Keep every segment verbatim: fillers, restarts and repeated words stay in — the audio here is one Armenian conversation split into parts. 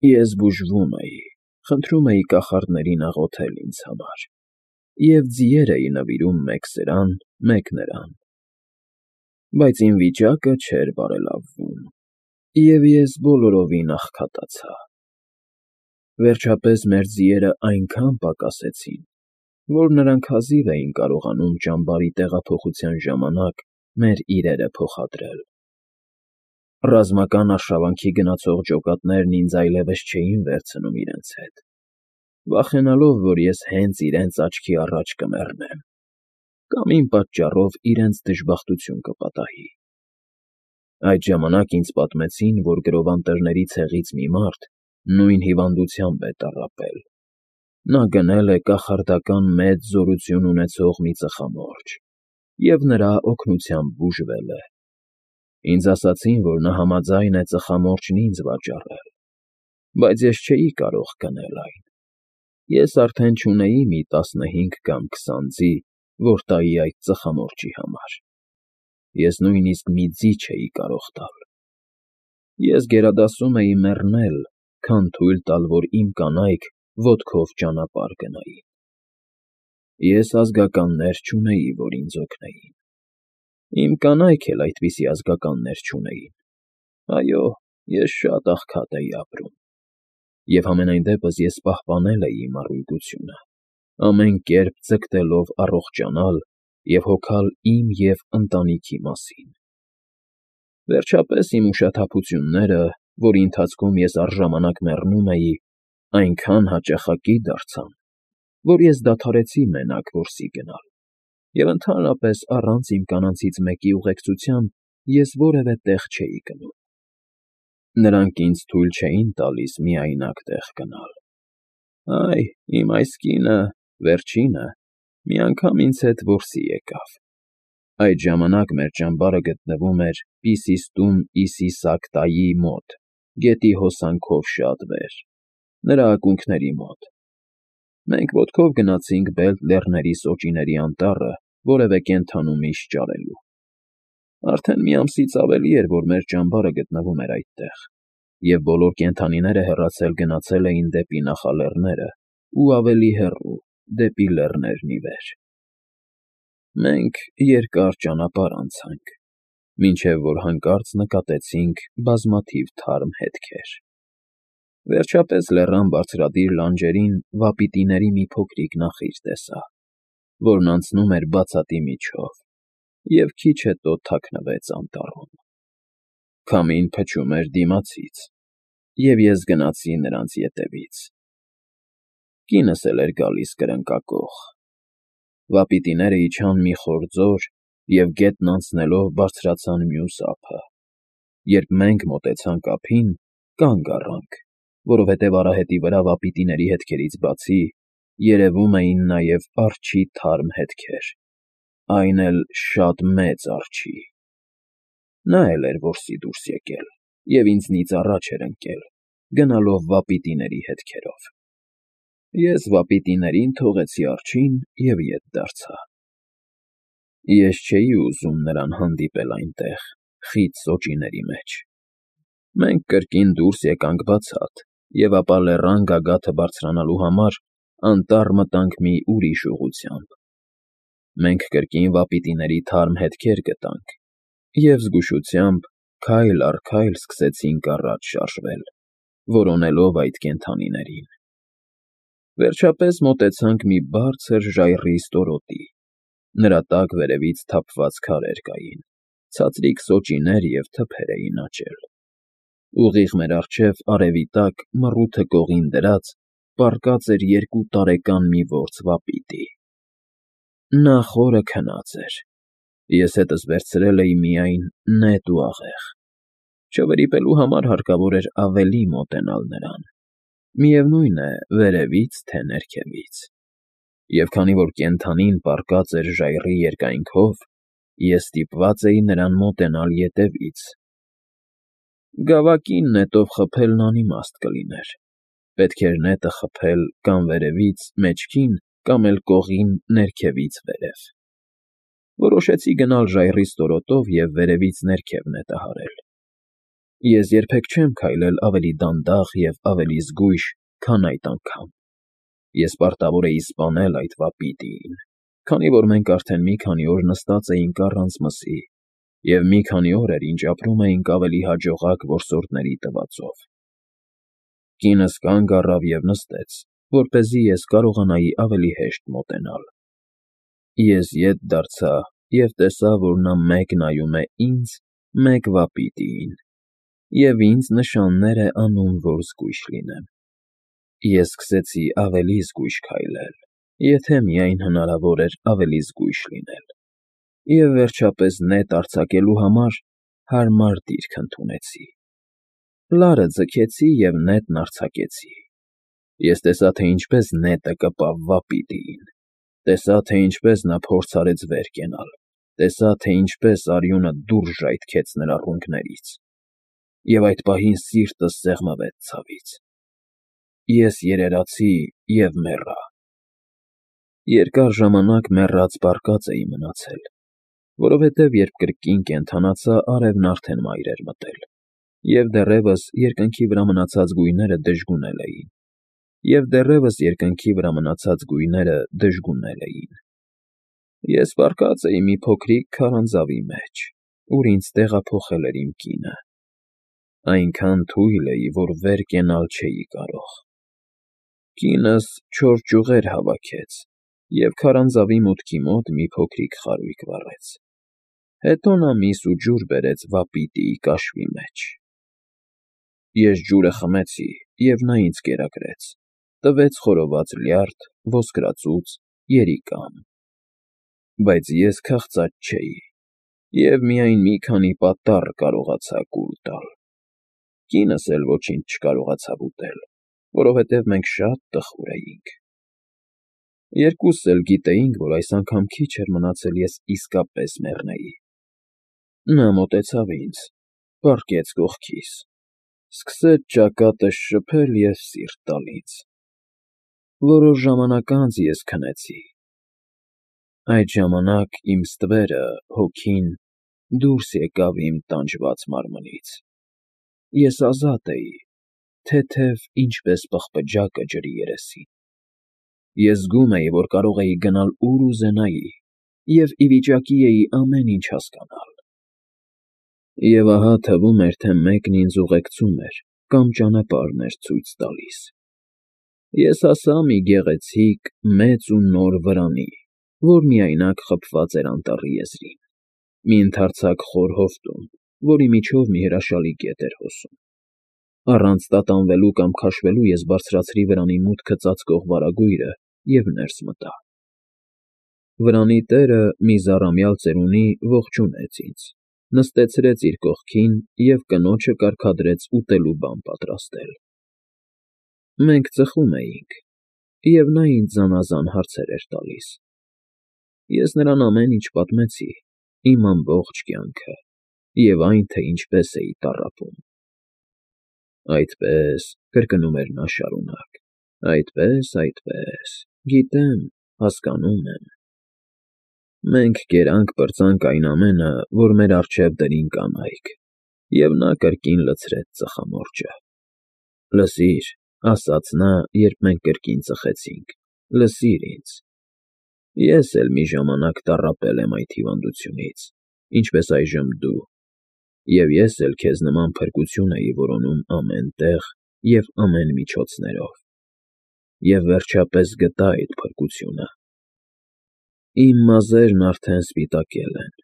Ես բուժվում էի, խնդրում էի կախարդներին աղոթել ինձ համար և ձիեր էի նվիրում մեկ սրան, մեկ նրան, բայց իմ վիճակը չէր բարելավում, և ես բոլորովին աղքատացա։ Վերջապես մեր ձիերն այնքան պակասեցին, որ նրանք հազիվ էին կարողանում ճամբարի տեղափոխության ժամանակ մեր իրերը փոխադրել։ Ռազմական արշավանքի գնացող ջոկատներն ինձ այլևս չէին վերցնում իրենց հետ, վախենալով, որ ես հենց իրենց աչքի առաջ կմեռնեմ կամ իմ պատճառով իրենց դժբախտություն կպատահի։ Այդ ժամանակ ինձ պատմեցին, որ գրովանտերների ցեղից մի մարդ նույն հիվանդությամբ է տառապել. նա գնել է կախարդական մեծ զորություն ունեցող մի ծխամորճ և նրա օգնությամբ բուժվել է։ Ինձ ասացին, որ նա համաձայն է ծխամորճն ինձ վաճառել, բայց ես չէի կարող գնել այն։ Ես արդեն չունեի մի տասնհինգ կամ քսան ձի, որ տայի այդ ծխամորճի համար։ Ես նույնիսկ մի ձի չէի կարող տալ։ Ես գերադասում էի մեռնել, քան թույլ տալ, որ իմ կանայք ոտքով ճանապարհ գնային։ Ես ազգականներ չունեի, որ ինձ օգնեին։ Իմ կանայք էլ այդպիսի ազգականներ չունեին։ Այո, ես շատ աղքատ էի ապրում, և համենայն դեպս ես պահպանել էի իմ առողջությունը, ամեն կերպ ձգտելով առողջանալ և հոգալ իմ և ընտանիքի մասին։ Վերջապես իմ ուշաթափությունները, որի ընթացքում ես առժամանակ մեռնում էի, այնքան հաճախակի դարձան, որ ես դադարեցի մենակ որսի գնալ, և ընդհանրապես առանց իմ կանանցից մեկի ուղեկցության ես որևէ տեղ չէի գնում։ Նրանք ինձ թույլ չէին տալիս միայնակ տեղ գնալ։ Այ, իմ այս կինը, վերջինը, մի անգամ ինձ հետ որսի եկավ։ Այդ ժամանակ մեր ճամբարը գտնվում էր Պիսիստում Իսիսակտայի մոտ, գետի հոսանքով շատ վեր, նրա ակունքների մոտ։ Մենք ոտքով գնացինք Բելտ լեռների սոճիների անտառը որևէ կենդանու միշ ճարելու։ Արդեն մի ամսից ավելի էր, որ մեր ճամբարը գտնվում էր այդտեղ, և բոլոր կենդանիները հեռացել գնացել էին դեպի նախալեռները ու ավելի հեռու, դեպի լեռներն ի վեր։ Մենք երկար ճանապարհ անցանք, մինչև որ հանկարծ նկատեցինք բազմաթիվ թարմ հետքեր։ Վերջապես լեռան բարձրադիր լանջերին վապիտիների մի փոքրիկ նախիր տեսա, որն անցնում էր բացատի միջով, և քիչ հետո թաքնվեց անտառում։ Քամին փչում էր դիմացից, և ես գնացի նրանց ետևից։ Կինս էլ էր գալիս կրնկակոխ։ Վապիտիները իջան մի խոր ձոր և գետն անցնելով բարձրացան մյուս ափը։ Երբ մենք մոտեցանք ափին, կանգ առանք, որովհետև արահետի վրա վապիտիների հետքերից բացի երևում էին նաև արջի թարմ հետքեր, այն էլ շատ մեծ արջի։ Նա էլ էր որսի դուրս եկել և ինձնից առաջ էր ընկել, գնալով վապիտիների հետքերով։ Ես վապիտիներին թողեցի արջին և ետ դարձա։ Ես չէի ուզում նրան հանդիպել այնտեղ, խիտ սոճիների մեջ։ Մենք կրկին դուրս եկանք բացատ և ապա լեռան գագաթը բարձրանալու համար անտառ մտանք մի ուրիշ ուղղությամբ։ Մենք կրկին վապիտիների թարմ հետքեր գտանք և զգուշությամբ քայլ առ քայլ սկսեցինք առաջ շարժվել, որոնելով այդ կենդանիներին։ Վերջապես մոտեցանք մի բարձր ժայռի ստորոտի, նրա տակ վերևից թափված քարեր կային, ցածրիկ սոճիներ և թփեր էին աճել։ Ուղիղ մեր առջև արևի տակ մռութը կողին դրած պառկած էր երկու տարեկան մի որց վապիտի։ Նա խորը քնած էր, ես հետս վերցրել էի միայն նետ ու աղեղ։ Չվրիպելու համար հարկավոր էր ավելի մոտենալ նրան, միևնույն է, վերևից, թե ներքևից։ Եվ քանի որ կենդանին պառկած էր ժայռի երկայնքով, ես ստիպված էի նրան մոտենալ ետևից։ Գավակին նետով խփելն անիմաստ կլիներ, պետք էր նետը խփել կամ վերևից մեջքին, կամ էլ կողին ներքևից վեր։ Որոշեցի գնալ ժայռի ստորոտով և վերևից ներքև նետը հարել։ Ես երբեք չեմ քայլել ավելի դանդաղ և ավելի զգույշ, քան այդ անգամ. ես պարտավոր էի սպանել այդ վապիտիին, քանի որ մենք արդեն մի քանի օր նստած էինք առանց մսի և մի քանի օր էր, ինչ ապրում էինք ավելի հաջողակ որսորդների տվածով։ Կինս կանգ առավ և նստեց, որպեսզի ես կարողանայի ավելի հեշտ մոտենալ։ Ես ետ դարձա և տեսա, որ նա մեկ նայում է ինձ, մեկ վապիտիին, և ինձ նշաններ է անում, որ զգույշ լինեմ։ Ես սկսեցի ավելի զգույշ քայլել, եթե միայն հնարավոր էր ավելի զգույշ լինել, և վերջապես նետ արձակելու համար հարմար դիրք ընդունեցի։ Լարը ձգեցի և նետն արձակեցի։ Ես տեսա, թե ինչպես նետը կպավ վապիտիին, տեսա, թե ինչպես նա փորձ արեց վեր կենալ, տեսա, թե ինչպես արյունը դուրս ժայթքեց նրա ռունգներից, և այդ պահին սիրտս սեղմվեց ցավից։ Ես երերացի և մեռա։ Երկար ժամանակ մեռած պառկած էի մնացել, որովհետև երբ կրկին կենդանացա, արևն արդեն մայր էր մտել, և դեռևս երկնքի վրա մնացած գույները դժգունել էին, և դեռևս երկնքի վրա մնացած գույները դժգունել էին։ Ես պառկած էի մի փոքրիկ քարանձավի մեջ, ուր ինձ տեղափոխել էր իմ կինը։ Այնքան թույլ էի, որ վեր կենալ չէի կարող։ Կինս չոր ճյուղեր հավաքեց և քարանձավի մուտքի մոտ մի փոքրիկ խարույկ վառեց։ Հետո նա միս ու ջուր բերեց վապիտիի կաշվի մեջ։ Ես ջուրը խմեցի, և նա ինձ կերակրեց, տվեց խորոված լյարդ, ոսկրածուծ, երիկամ։ Բայց ես քաղցած չէի և միայն մի քանի պատառ կարողացա կուլ տալ։ Կինս էլ ոչինչ չկարողացավ ուտել, որովհետև մենք շատ տխուր էինք։ Երկուսս էլ գիտեինք, որ այս անգամ քիչ էր մնացել ես իսկապես մեռնեի։ Նա մոտեցավ ինձ, պառկեց կողքիս, սկսեց ճակատս շփել և սիրտ տալ ինձ։ Որոշ ժամանակ անց ես քնեցի։ Այդ ժամանակ իմ ստվերը, հոգին, դուրս եկավ իմ տանջված մարմնից։ Ես ազատ էի, թեթև, ինչպես պղպջակը ջրի երեսին։ Ես զգում էի, որ կարող էի գնալ ուր ուզենայի և ի վիճակի էի ամեն ինչ հասկանալ։ Եվ ահա թվում էր, թե մեկն ինձ ուղեկցում էր կամ ճանապարհն էր ցույց տալիս։ Ես հասա մի գեղեցիկ, մեծ ու նոր վրանի, որ միայնակ խփված էր անտառի եզրին, մի ընդարձակ խոր հովտում, որի միջով մի հրաշալի գետ էր հոսում։ Առանց տատանվելու կամ քաշվելու ես բարձրացրի վրանի մուտքը ծածկող վարագույրը և ներս մտա։ Վրանի տերը, մի զառամյալ ծերունի, ողջունեց ինձ, նստեցրեց իր կողքին և կնոջը կարգադրեց ուտելու բան պատրաստել։ Մենք ծխում էինք, և նա ինձ զանազան հարցեր էր տալիս։ Ես նրան ամեն ինչ պատմեցի, իմ ամբողջ կյանքը և այն, թե ինչպես էի տառապում։ Այդպես, ֊ կրկնում էր նա շարունակ, ֊ այդպես, այդպես, գիտեմ, հասկանում եմ։ Մենք կերանք֊պրծանք այն ամենը, որ մեր առջև դրին կանայք, և նա կրկին լցրեց ծխամորճը։ Լսիր, ֊ ասաց նա, երբ մենք կրկին ծխեցինք, ֊ լսիր ինձ։ Ես էլ մի ժամանակ տառապել եմ այդ հիվանդությունից, ինչպես այժմ դու, և ես էլ քեզ նման փրկություն էի որոնում ամեն տեղ և ամեն միջոցներով, և վերջապես գտա այդ փրկությունը։ Իմ մազերն արդեն սպիտակել են,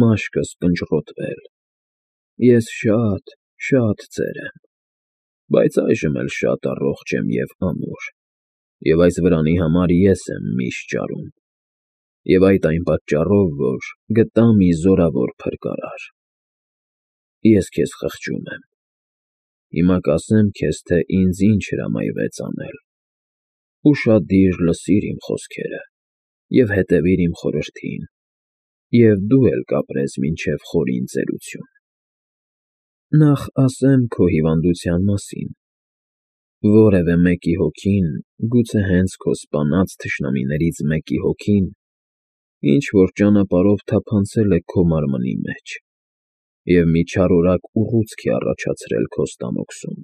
մաշկս կնճռոտվել, ես շատ, շատ ծեր եմ, բայց այժմ էլ շատ առողջ եմ և ամուր, և այս վրանի համար ես եմ միշ ճարում, և այդ այն պատճառով, որ գտա մի զորավոր փրկարար։ Ես քեզ խղճում եմ։ Հիմա կասեմ քեզ, թե ինձ ինչ հրամայվեց անել։ Ուշադիր լսիր իմ խոսքերը և հետևիր իմ խորհրդին, և դու էլ կապրես մինչև խորին ծերություն։ Նախ ասեմ քո հիվանդության մասին։ Որևէ մեկի հոգին, գուցե հենց քո սպանած թշնամիներից մեկի հոգին, ինչ֊որ ճանապարհով թափանցել է քո մարմնի մեջ, և մի չարորակ ուռուցք է առաջացրել քո ստամոքսում։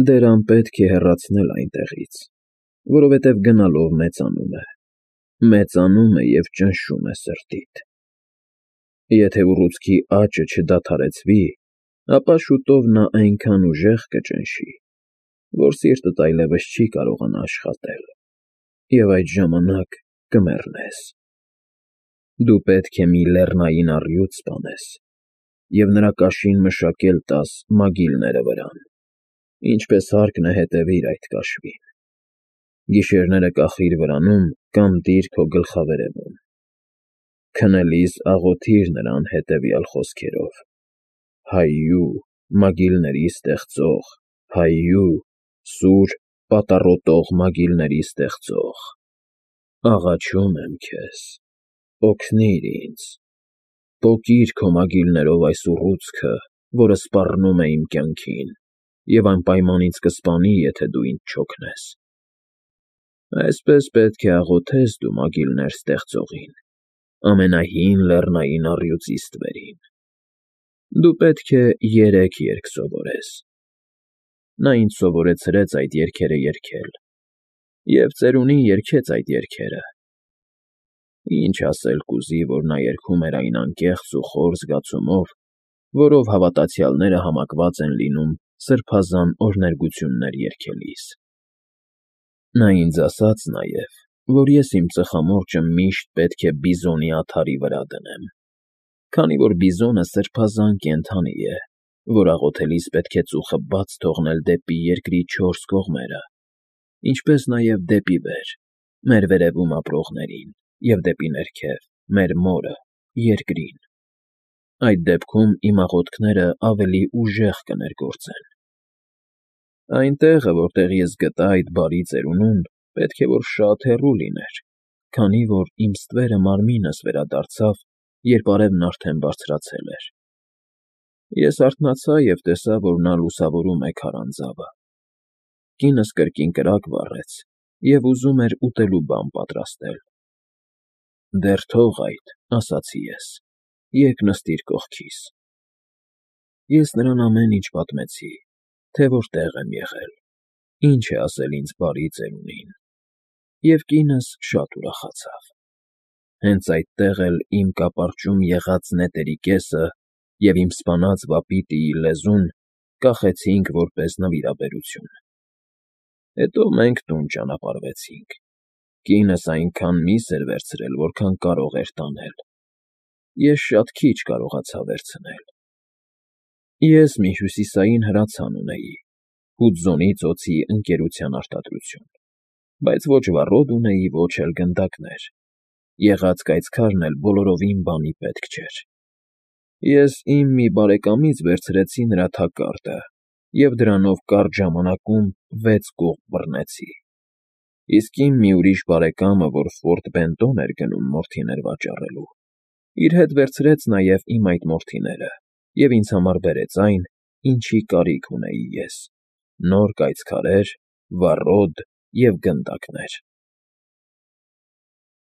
Դեռան պետք է հեռացնել այնտեղից, որովհետև գնալով մեծանում է, մեծանում է և ճնշում է սրտիդ։ Եթե ուռուցքի աճը չդադարեցվի, ապա շուտով նա այնքան ուժեղ կճնշի, որ սիրտդ այլևս չի կարողանա աշխատել, և այդ ժամանակ կմեռնես։ Դու պետք է մի լեռնային առյուծ սպանես և նրա կաշին մշակել տաս մագիլները վրան, ինչպես հարկն է հետևիր այդ կաշվին։ Գիշերները կախիր վրանում կամ դիր քո գլխավերևում։ Քնելիս աղոթիր նրան հետևյալ խոսքերով. «Հայրու, մագիլների ստեղծող, Հայրու, սուր, պատառոտող մագիլների ստեղծող, աղաչում եմ քեզ, օգնիր ինձ, պոկիր քո մագիլներով այս ուռուցքը, որը սպառնում է իմ կյանքին և անպայման ինձ կսպանի, եթե դու ինձ չօգնես»։ Այսպես պետք է աղոթես դու մագիլներ ստեղծողին, ամենահին լեռնային առյուծի ստվերին։ Դու պետք է երեք երգ սովորես։ Նա ինձ սովորեցրեց այդ երգերը երգել և ծերունին երգեց այդ երգերը։ Ինչ ասել կուզի, որ նա երգում էր այն անկեղծ ու խոր զգացումով, որով հավատացյալները համակված են լինում սրբազան օրհներգություններ երգելիս։ Նա ինձ ասաց նաև, որ ես իմ ծխամորճը միշտ պետք է բիզոնի աթարի վրա դնեմ, քանի որ բիզոնը սրբազան կենդանի է, որ աղոթելիս պետք է ծուխը բաց թողնել դեպի երկրի չորս կողմերը, ինչպես նաև դեպի վեր՝ մեր վերևում ապրողներին, և դեպի ներքև՝ մեր Մորը՝ երկրին։ Այդ դեպքում իմ աղոթքները ավելի ուժեղ կներգործեն։ Այն տեղը, որտեղ ես գտա այդ բարի ծերունուն, պետք է որ շատ հեռու լիներ, քանի որ իմ ստվերը մարմինս վերադարձավ, երբ արևն արդեն բարձրացել էր։ Ես արթնացա և տեսա, որ նա լուսավորում է քարանձավը։ Կինս կրկին կրակ վառեց և ուզում էր ուտելու բան պատրաստել։ «Դեռ թող այդ,֊ ասացի ես,֊ եկ նստիր կողքիս»։ Ես նրան ամեն ինչ պատմեցի, թե որտեղ եմ եղել, ինչ է ասել ինձ բարի ծերունին, և կինս շատ ուրախացավ։ Հենց այդտեղ էլ իմ կապարճում եղած նետերի կեսը և իմ սպանած վապիտիի լեզուն կախեցինք որպես նվիրաբերություն։ Հետո մենք տուն ճանապարհվեցինք։ Կինս այնքան միս էր վերցրել, որքան կարող էր տանել։ Ես շատ քիչ կարողացա վերցնել։ Ես մի հյուսիսային հրացան ունեի՝ հուդզոնի ծոցի ընկերության արտադրություն, բայց ոչ վառոդ ունեի, ոչ էլ գնդակներ։ Եղած կայծքարն էլ բոլորովին բանի պետք չէր։ Ես իմ մի բարեկամից վերցրեցի նրա թակարդը և դրանով կարճ ժամանակում վեց կողմ բռնեցի, իսկ իմ մի ուրիշ բարեկամը, որ Ֆորտ Բենտոն էր գնում մորթիներ վաճառելու, իր հետ վերցրեց նաև իմ այդ մորթիները և ինձ համար բերեց այն, ինչի կարիք ունեի ես՝ նոր կայծքարեր, վառոդ և գնդակներ։